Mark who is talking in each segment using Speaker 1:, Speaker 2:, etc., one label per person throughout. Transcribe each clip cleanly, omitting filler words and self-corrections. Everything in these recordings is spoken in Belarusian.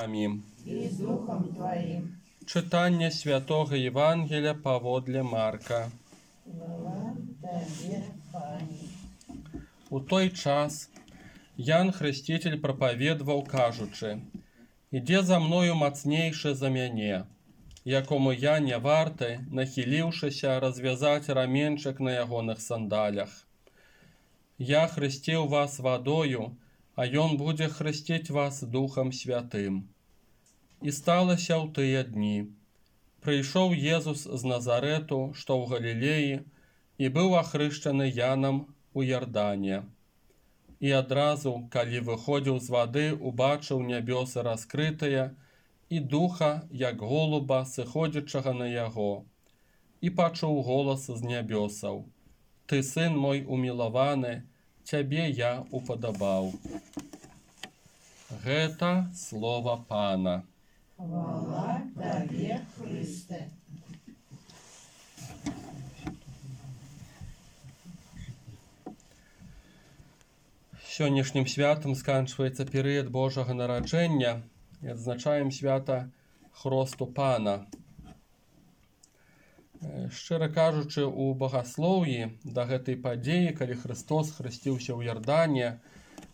Speaker 1: Амінь.
Speaker 2: і з Духом Твоїм.
Speaker 1: Читання Святого Євангелія паводле Марка.
Speaker 2: Слава Тобі, Пані.
Speaker 1: У той час Ян Хреститель проповідував, кажучи: «Іде за мною мацнейший за мяне, якому я не варты, нахилівшися, розв'язати раменчик на ягоних сандалях. Я хрестив вас водою, а ён буде хрестить вас Духом Святым». І сталося ў тыя дні. Прыйшоў Езус з Назарету, што ў Галілеі, і быў ахрышчаны Янам у Ярдане. І адразу, калі выходзіў з вады, убачыў нябёсы раскрытыя і духа, як голуба, сыходзячага на яго. І пачуў голас з нябёсаў: «Ты сын мой умілаваны, цябе я упадабаў». Гэта слова Пана.
Speaker 2: Хвала Тобі, Христе.
Speaker 1: Сённяшнім святам сканчваецца перыяд Божага нараджэння і адзначаем свята Хросту Пана. Шчыра кажучы, у багаслоўі да гэтай падзеі, калі Христос хрысціўся ў Ярдане,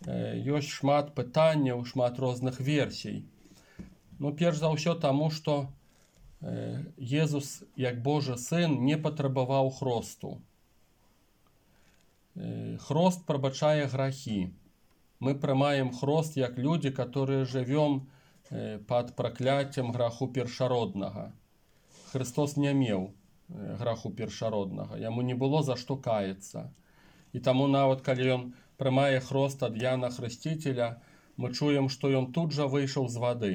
Speaker 1: ёсць шмат пытанняў, шмат розных версій. Перш за ўсё таму, што Езус, як Божы сын, не патрабаваў хросту. Хрост прабачае грахі. Мы прымаем хрост як людзі, которые жывём пад пракляццем граху першароднага. Христос не меў граху першароднага, яму не было за што каяцца. І таму нават калі ён прымае хрост ад Яна Хрысціцеля, мы чуем, што ён тут жа выйшаў з вады.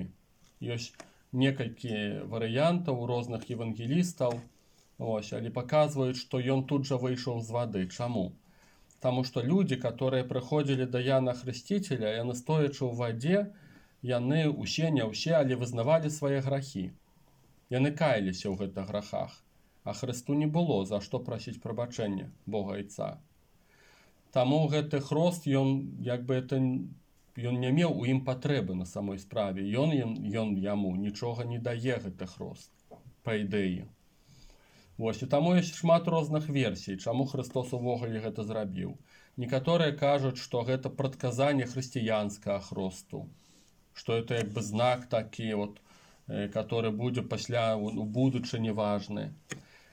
Speaker 1: Ёсць некалькі варыянтаў у розных евангелістаў, але паказваюць, што ён тут жа выйшаў з вады. Чаму? Таму што людзі, которые прыходзілі да Яна Хрысціцеля, яны стоячы ў вадзе, яны усе, не ўсе, але вызнавалі свае грахі. Яны каяліся ў гэтых грахах, а Хрысту не было за што прасіць прабачэння Бога Айца. Таму гэты хрост, ён не меў у ім патрэбы на самой справе. Ён яму нічога не дае, гэты хрост, па ідэі. І таму ёсць шмат розных версій, чаму Христос увогуле гэта зрабіў. Некаторыя кажуць, што гэта прадказанне хрысціянскага хросту, што это як бы знак такі, который будзе пасля у будучыні важны.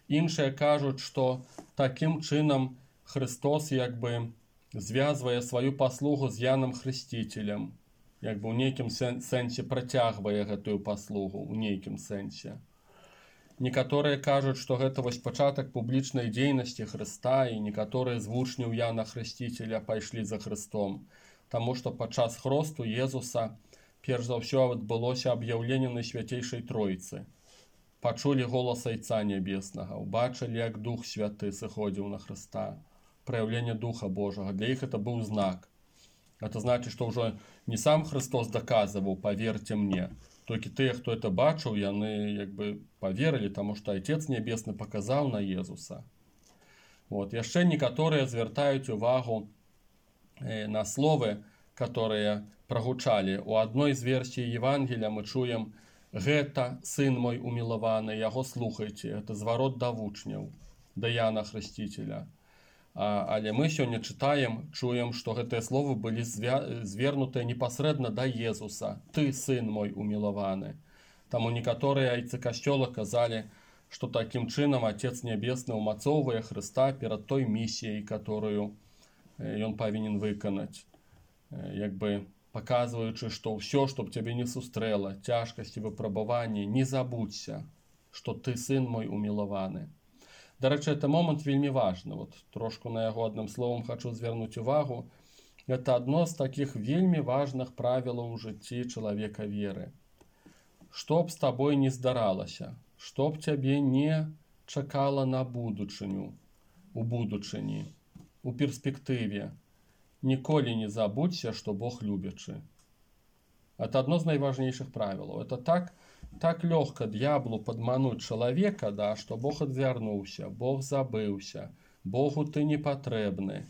Speaker 1: Іншыя кажуць, што такім чынам Христос як бы звязвае сваю паслугу з Янам Хрысціцелем, як бы ў нейкім сэнсе працягвае гэтую паслугу, у нейкім сэнсе. Некаторыя кажуць, што гэта пачатак публічнай дзейнасці Хрыста, і некаторыя з вучняў Яна Хрысціцеля пайшлі за Хрыстом, таму што падчас хросту Езуса перш за ўсё адбылося аб'яўленне Найсвяцейшай Тройцы. Пачулі голас Айца Нябеснага, убачылі, як Дух Святы сыходзіў на Хрыста. Праяўленне Духа Божага. Для іх это быў знак. Это значыць, што ўжо не сам Христос даказваў: «Паверьте мне». Толькі тыя, хто это бачыў, яны як бы паверылі, таму што Айцец Нябесны паказаў на Езуса. Яшчэ некаторыя звяртаюць увагу на словы, которые прагучалі. У адной з версій Евангелія мы чуем: «Гэта сын мой умілаваны, яго слухайце». Это зварот да вучняў, да Яна Хрысціцеля. Але мы сёння чуем, што гэтыя словы былі звернутыя непасрэдна да Езуса: «Ты сын мой умілаваны». Таму некаторыя айцы касцёла казалі, што такім чынам Отец Нябесны ўмацоўвае Хрыста перад той місіяй, которую ён павінен выканаць, як бы паказваючы, што ўсё, што б цябе не сустрэла, цяжкасці, выпрабаванні, не забудься, што ты сын мой умілаваны. Дарэчы, это момант вельмі важны. Трошку на яго адным словам хачу звярнуць увагу. Это адно з такіх вельмі важных правілаў у жыцці чалавека веры. Што б з табой не здаралася, што б цябе не чакала на будучыню, у будучыні, у перспектыве, ніколі не забудься, што Бог любячы. Это одно з найважнейшых правілаў. Это так лёгка д'яблу падмануць чалавека, што Бог адвярнуўся, Бог забыўся, Богу ты не патрэбны.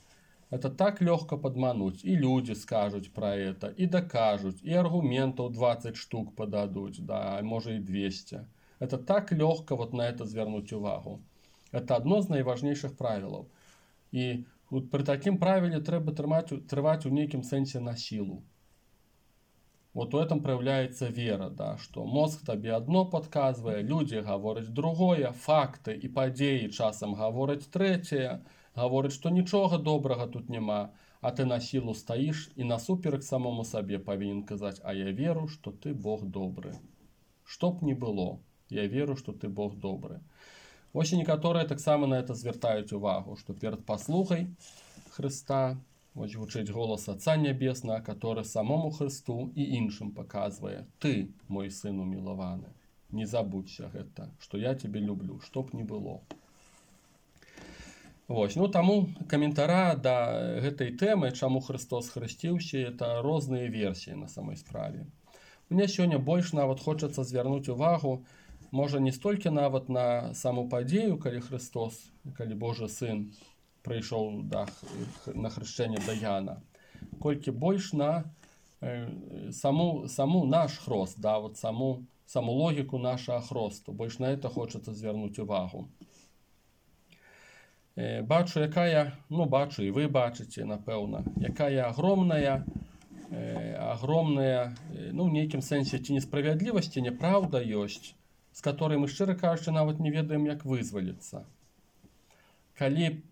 Speaker 1: Это так легко подмануть. И люди скажут про это, и докажут, и аргументов 20 штук подадут, да, может и 200. Это так легко вот на это звернуть увагу. Это одно з найважнейших правил. І при такім правилі треба трываць у нейкім сэнсе на силу. Вот у этом проявляется вера, да, что мозг тебе одно подказывает, люди говорят другое, факты и подеи часом говорят третье, говорят, что ничего доброго тут нема, а ты на силу стоишь и насуперек самому себе повинен сказать, а я веру, что ты Бог добрый. Чтоб не было, я веру, что ты Бог добрый. Ось і некаторыя таксама на это звяртаюць увагу, што перад паслугай Хрыста ось гучыць голас Отца Нябеснага, который самому Христу і іншым паказвае: ты, мой сын умілаваны, не забудься гэта, што я тебе люблю, чтоб не было. Вось, ну таму каментара да гэтай тэмы, чаму Христос хрысціўся, это розныя версіі на самой справе. Мне сёння больш нават хочацца звярнуць увагу, можа не столькі нават на саму падзею, калі Христос, калі Божы сын прыйшоў на хрышчэнне да Яна, колькі больш на саму наш хрост, да, вот саму логіку нашага хросту, больш на это хочацца звярнуць увагу. Бачу, якая, ну бачу і вы бачыце, напэўна, якая агромная, ну в нейкім сэнсе ці несправядлівасць, ці няправда ёсць, з которой мы, шчыра кажучы, нават не ведаем, як вызваліцца. Калі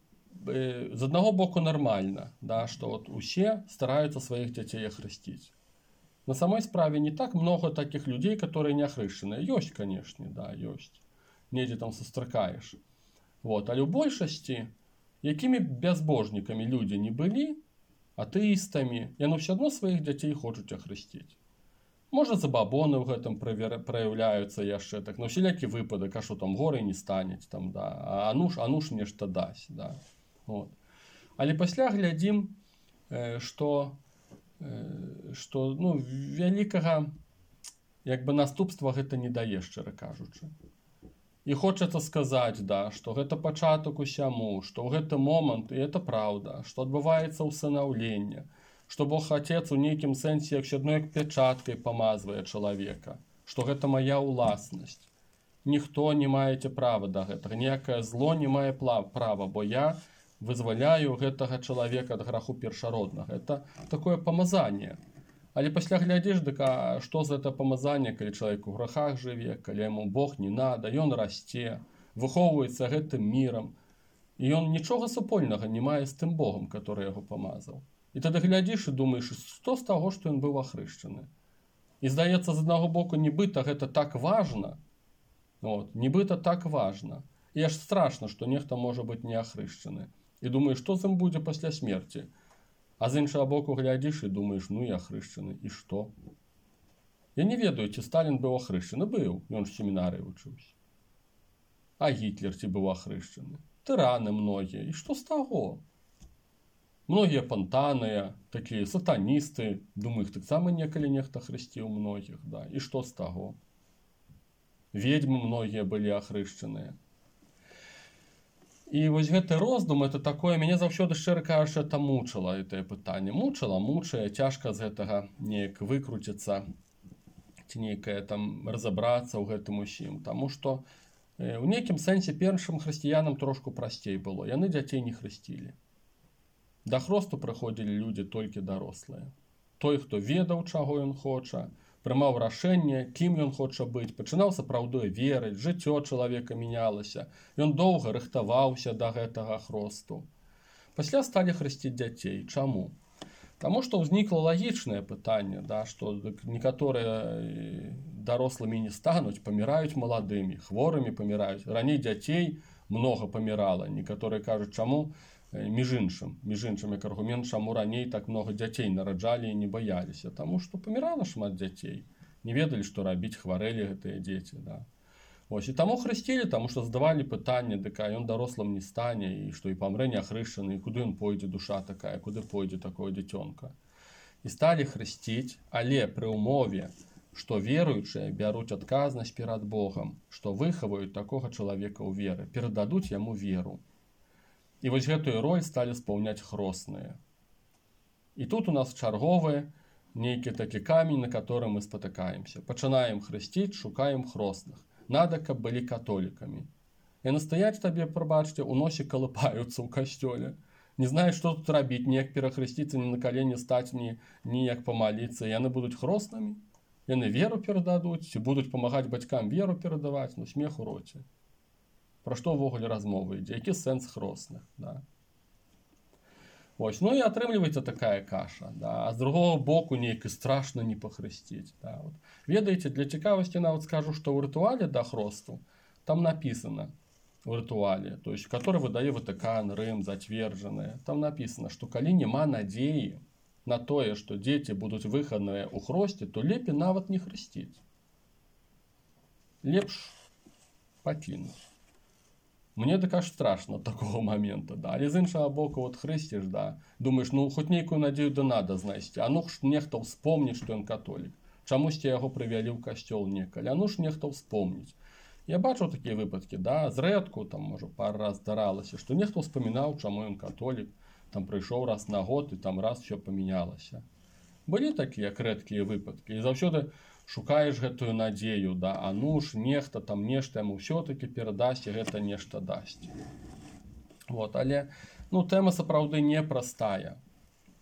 Speaker 1: з аднаго боку нармальна, да, што вот усе стараюцца сваіх дзяцей ахрысціць. На самой справе не так много таких людей, которые не ахрышчаныя. Ёсць, канешне, да, ёсць. Недзе там сустракаеш. Вот. Але ў большасці, якімі бязбожнікамі людзі не былі, атэістамі, яны ўсё адно сваіх дзяцей хочуць ахрысціць. Можа, забабоны ў гэтым праяўляюцца яшчэ так, на ўсялякі выпадак, а што там горай не станець, там, да, а ну ж нешта дасць. Да. Вот. Але пасля глядзім, што ну, вялікага як бы наступства гэта не дае, шчыра кажучы. І хочацца сказаць, да, што гэта пачатак усяму, што ў гэты момант, і это праўда, што адбываецца ўсынаўленне, што Бог Отец у нейкім сэнсе як адной пячаткай памазвае чалавека, што гэта моя ўласнасць. Ніхто не маеце права да гэтага, ніякае зло не мае права, бо я вызваляю гэтага чалавека ад граху першароднага. Это такое памазанне. Але пасля глядзіш, дык а што за это памазанне, калі чалавек у грахах жыве, калі яму Бог не надо, ён расце, выхоўваецца гэтым мірам, і ён нічога супольнага не мае з тым Богом, который яго памазаў. І тады глядзіш і думаеш, што з таго, што ён быў ахрышчаны. І здаецца, з аднаго боку, нібыта гэта так важна, вот, нібыта так важна. І аж страшна, што нехта можа быць не ахрышчаны. І думаеш, што з ім будзе пасля смерці. А з іншага боку глядзіш і думаеш, ну і ахрышчаны, і што? Я не ведаю, ці Сталін быў ахрышчаны. Быў, ён ж семінарыі вучыўся. А Гітлер ці быў ахрышчаны? Тыраны многія. І што з таго? Многія пантаныя, такія сатаністы, думаю, іх таксама некалі нехта хрысціў многіх, да. І што з таго? Ведьмы многія былі ахрышчаныя. І вось гэты роздум, это такое, мяне заўсёды, шчыра кажучы, это мучыла, гэтае пытанне. Мучыла, цяжка з гэтага неяк выкруціцца, ці нейкае там разабрацца ў гэтым усім. Таму што у нейкім сэнсе першым хрысціянам трошку прасцей было. Яны дзяцей не хрысцілі. Да хросту прыходзілі людзі толькі дарослыя. Той, хто ведаў, чаго ён хоча, прымаў рашэнне, кім ён хоча быць, пачынаў сапраўдой верыць, жыццё чалавека мянялася, ён доўга рыхтаваўся да гэтага хросту. Пасля сталі хрысціць дзяцей. Чаму? Таму што ўзнікла лагічнае пытанне, да, што некаторыя дарослымі не стануць, паміраюць маладымі, хворымі паміраюць. Раней дзяцей многа памірала. Некаторыя кажуць, чаму? Між іншым, як аргумент, чаму раней так много дзяцей нараджалі і не баяліся. Таму што памірала шмат дзяцей. Не ведалі, што рабіць, хварэлі гэтыя дзеці. Да. Ось, і таму хрысцілі, таму што задавалі пытанне, дык ён дарослым не стане, і што і памрэ не ахрышчаны, і куды ён пойдзе, душа такая, куды пойдзе такое дзіцёнка. І сталі хрысціць, але пры ўмове, што веруючыя бяруць адказнасць перад Богам, што выхаваюць такога чалавека ў веры, перададуць яму веру. І вось гэтую роль сталі спаўняць хросныя. І тут у нас чарговы нейкі такі камень, на который мы спатыкаемся. Пачынаем хрысціць, шукаем хросных. Надо, каб былі католікамі. Яны стаяць табе, прабачце, у носе калыпаюцца ў касцёле. Не знаюць, што тут рабіць, ніяк перахрысціцца, ні на калені стаць, ніяк памаліцца. Яны будуць хроснымі, яны веру перададуць, ці будуць памагаць бацькам веру перадаваць, ну смех у роце. Пра што ўвогуле размова ідзе, які сэнс хросных, да? Ось, ну і атрымліваецца такая каша, да? А з другого боку нейк і страшна не пахрысціць. Да? Вот. Ведаеце, для цікавасці нават скажу, што ў рытуале да хросту там написано, в ритуале, то есть, который выдае Ватикан, Рим, затвердженные, там написано, что калі нема надеи на тое, что дети будут выхадныя ў хросце, то лепей нават не хрысціць. Лепш пакінуць. Мне так аж страшно такого момента, да. Але з іншага боку, вот хрысціш, да, думаешь, ну хоть нейкую надею да надо знайсці, а ну ж нехта ўспомніць, што ён католік. Чамусьці яго прывялі ў касцёл некалі, а ну ж нехта ўспомніць. Я бачыў такія выпадкі, да, зрэдку, там, можа, пару раз здаралася, што нехта ўспамінаў, чаму ён католік, там прыйшоў раз на год, і там раз все памянялася. Былі такія рэдкія выпадкі, і заўсёды шукаеш гэтую надзею, да, а ну ж нехта там нешта яму ўсё-такі перадасць, і гэта нешта дасць. Вот, але, ну, тэма сапраўды непростая.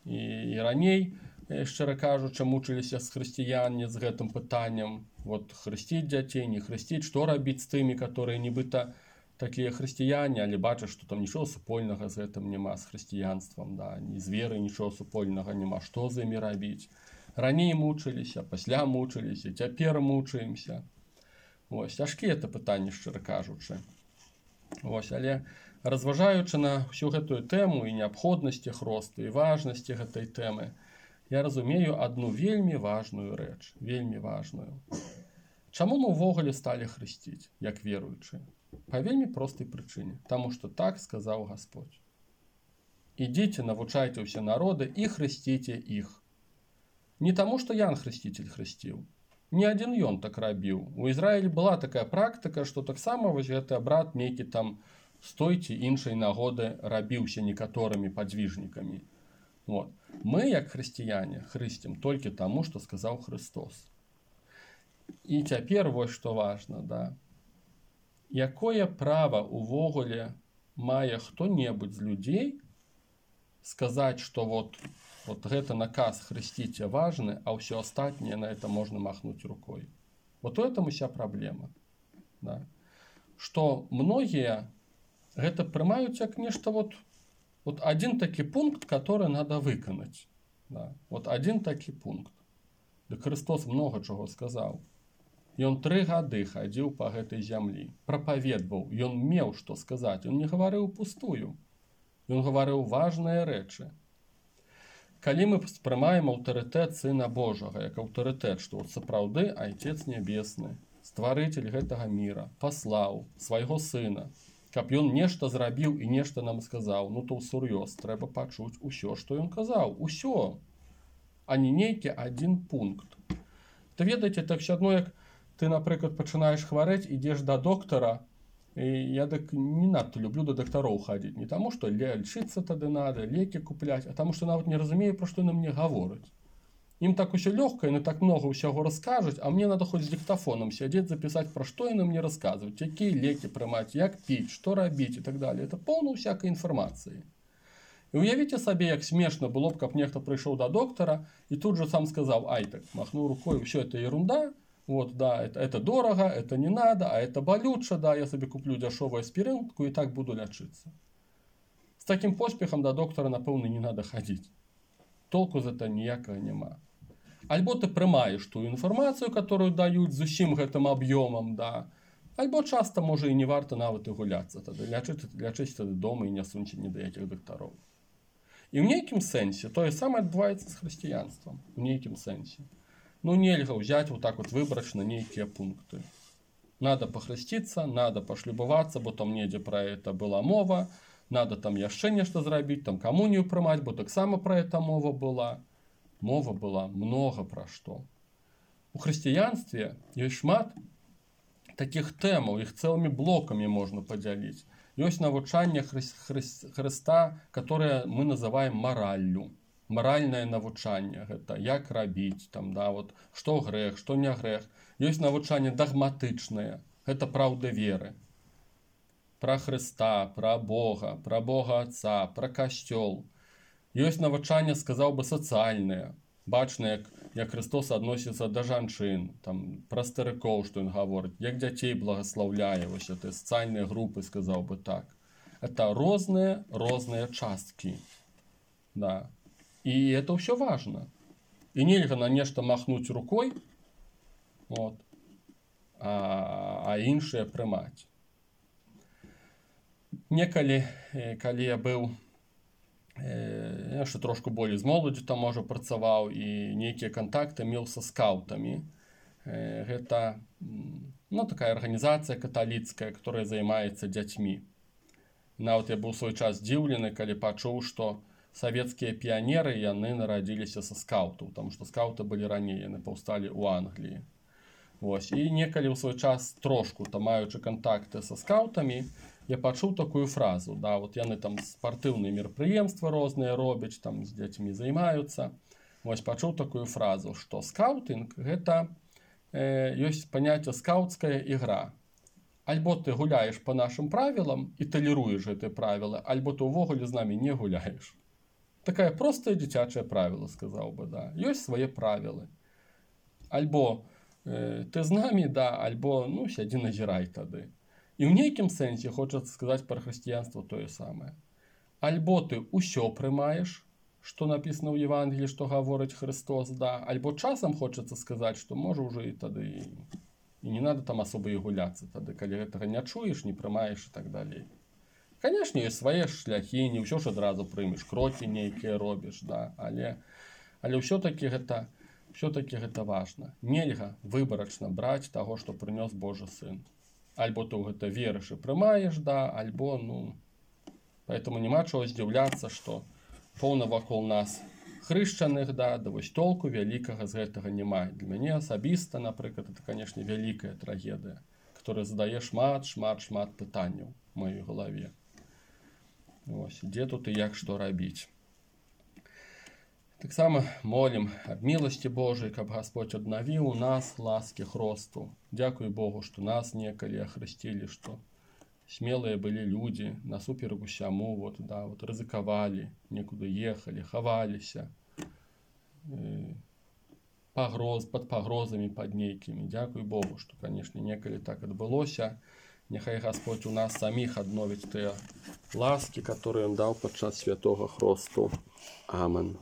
Speaker 1: І раней, шчыра кажучы, мучыліся з хрысціяне з гэтым пытаннем, вот хрысціць дзяцей, не хрысціць, што рабіць з тымі, которые нібыта такія хрысціяне, але бачаць, што там нічого супольнага з гэтым няма, з хрысціянствам, да, ні з веры нічого супольнага няма, што з імі рабіць. Раней мучыліся, пасля мучыліся, цяпер мучаемся. Вось, цяжкія это пытанні, шчыра кажучы. Вось, але разважаючы на ўсю гэтую тэму і неабходнасці хросту, і важнасці гэтай тэмы, я разумею одну вельмі важную рэч, вельмі важную. Чаму мы ўвогуле сталі хрысціць, як веруючыя? Па вельмі простай прычыне, таму што так сказаў Гасподь. Ідзіце, навучайце ўсе народы і хрысціце іх. Не таму, што Ян Хрысціцель хрысціў. Не адзін ён так рабіў. У Ізраілі была такая практыка, што таксама вось гэты абрад нейкі там з той ці іншай нагоды рабіўся некаторымі падвижнікамі. Вот. Мы, як хрысціяне, хрысцім толькі таму, што сказаў Христос. І цяпер вось што важна, да. Якое права увогуле мае хто-небудзь з людзей сказаць, што вот гэта наказ хрысціце важны, а ўсё астатняе на это можна махнуць рукой. Вот у этом уся праблема. Да. Што многія гэта прымаюць як нешта вот один такі пункт, который надо выканаць. Да. Вот один такі пункт. Дык Христос много чаго сказаў. Ён 3 гады хадзіў па гэтай зямлі, прапаведваў, ён меў што сказаць, ён не гаварыў пустую. Ён гаварыў важныя рэчы. Калі мы спрымаем аўтарытэт Сына Божага, як аўтарытэт, што сапраўды Айцец Нябесны, стварыцель гэтага міра, паслаў свайго сына, каб ён нешта зрабіў і нешта нам сказаў, ну то ўсур'ёз трэба пачуць усё, што ён казаў, усё, а не нейкі адзін пункт. Ты ведаеце, так все адно, як ты, напрыклад, пачынаеш хварэць, ідзеш да доктара, і я так не надта люблю да дактароў хадзіць, не таму, што лечыцца тады надо, лекі купляць, а таму, што нават не разумею, пра што яны мне гавораць. Ім так усё лёгка, яны так много ўсяго раскажуць, а мне надо хоць з диктофоном сядзець, запісаць, пра што яны мне расказваюць, якія лекі прымаць, як піць, што рабіць і так далее. Это поўна ўсякай інфармацыі. І уявіце сабе, як смешна было б, каб нехта прыйшоў да доктара і тут же сам сказаў, ай так, махнуў рукой, все это ерунда, вот, да, это дорого, это не надо, а это болюча, да, я себе куплю дешевую аспиринку и так буду лечиться. С таким поспехом до доктора, напэўна, не надо ходить. Толку за это ніякага няма. Альбо ты прымаеш ту інфармацыю, которую даюць з усім гэтым аб'ёмам, да, альбо часто, можа, і не варта нават і гуляцца, тады лячыць тады дома і не суньце ні да якіх дактароў. І ў нейкім сэнсе тое самае адбываецца з хрысціянствам, у нейкім сэнсе. Ну, нельга взять вот так вот выборочно некие пункты. Надо похреститься, надо пошлюбоваться, бо там недзе про это была мова, надо там яшчэ нешта зрабіць, там камунію прымаць, бо таксама про это мова была. Мова была много про што. У хрысціянстве ёсць шмат таких тэмаў, іх цэлымі блокамі можна падзяліць. Ёсць навучанне Хрыста, которое мы называем мараллю. Маральнае навучанне. Гэта як рабіць, там, да, вот, што грэх, што не грэх. Ёсць навучанне дагматычнае. Гэта праўда веры. Пра Хрыста, пра Бога Отца, пра касцёл. Ёсць навучанне, сказаў бы, сацыяльнае. Бачна, як Христос адносіцца да жанчын, там, пра старыкоў, што ён гаворыць, як дзяцей благаслаўляе, вось гэтыя сацыяльныя групы, сказаў бы так. Это розныя часткі. Да. И это все важно. И нельга на нешта махнуть рукой, вот, а іншае прымаць. Некалі, калі я быў яшчэ трошку болей з моладзю там можа працаваў і нейкія кантакты меў са скаутамі. Гэта такая арганізацыя каталіцкая, которая займаецца дзяцьмі. Нават я быў свой час здзіўлены, калі пачуў, што савецкія піянеры яны нарадзіліся са скаутаў, таму што скауты былі раней, яны паўсталі ў Англіі. Вось. І некалі ў свой час трошку там маючы кантакты са скаутамі, я пачуў такую фразу, да, вот яны там спартыўныя мерапрыемствы розныя робяць, там з дзецьмі займаюцца. Вось пачуў такую фразу, што скаутынг гэта ёсць паняцце скаутская ігра. Альбо ты гуляеш па нашым правілам і талеруеш гэтыя правілы, альбо ты ўвогуле з намі не гуляеш. Такая простая дзіцячае правіла, сказаў бы, да. Ёсць свае правілы. Альбо ты з намі, да, альбо, сядзі назірай тады. І ў нейкім сэнсе хочацца сказаць пра хрысціянства тое самае. Альбо ты ўсё прымаеш, што напісана ў Евангеліі, што гаворыць Христос, да, альбо часам хочацца сказаць, што можа ўжо і тады і не надо там асоба і гуляцца тады, калі гэтага не чуеш, не прымаеш і так далей. Канешне, ёсць свае шляхі, не ўсё ж адразу прымеш, крокі нейкія робіш, да, але ўсё-такі гэта важна. Нельга выбарачна браць таго, што прынёс Божы Сын. Альбо ты ў гэта верыш і прымаеш, да, альбо, поэтому няма чаго здзіўляцца, што поўна вакол нас хрышчаных, да, вось толку вялікага з гэтага няма. Для мяне асабіста, напрыклад, это, канешне, вялікая трагедыя, которая задае шмат пытанняў у маёй галаве. Вось, дзе тут і як што рабіць. Таксама молім аб міласці Божай, каб Гасподзь аднавіў у нас ласкі хросту. Дзякуй Богу, што нас некалі ахрысцілі, што смелыя былі людзі, насуперак усяму, рызыкавалі, некуды ехалі, хаваліся, пад пагрозамі, пад нейкімі. Дзякуй Богу, што, канешне, некалі так адбылося. Няхай Гасподь у нас саміх адновіць тыя ласкі, которые ён даў падчас святога хросту. Амен.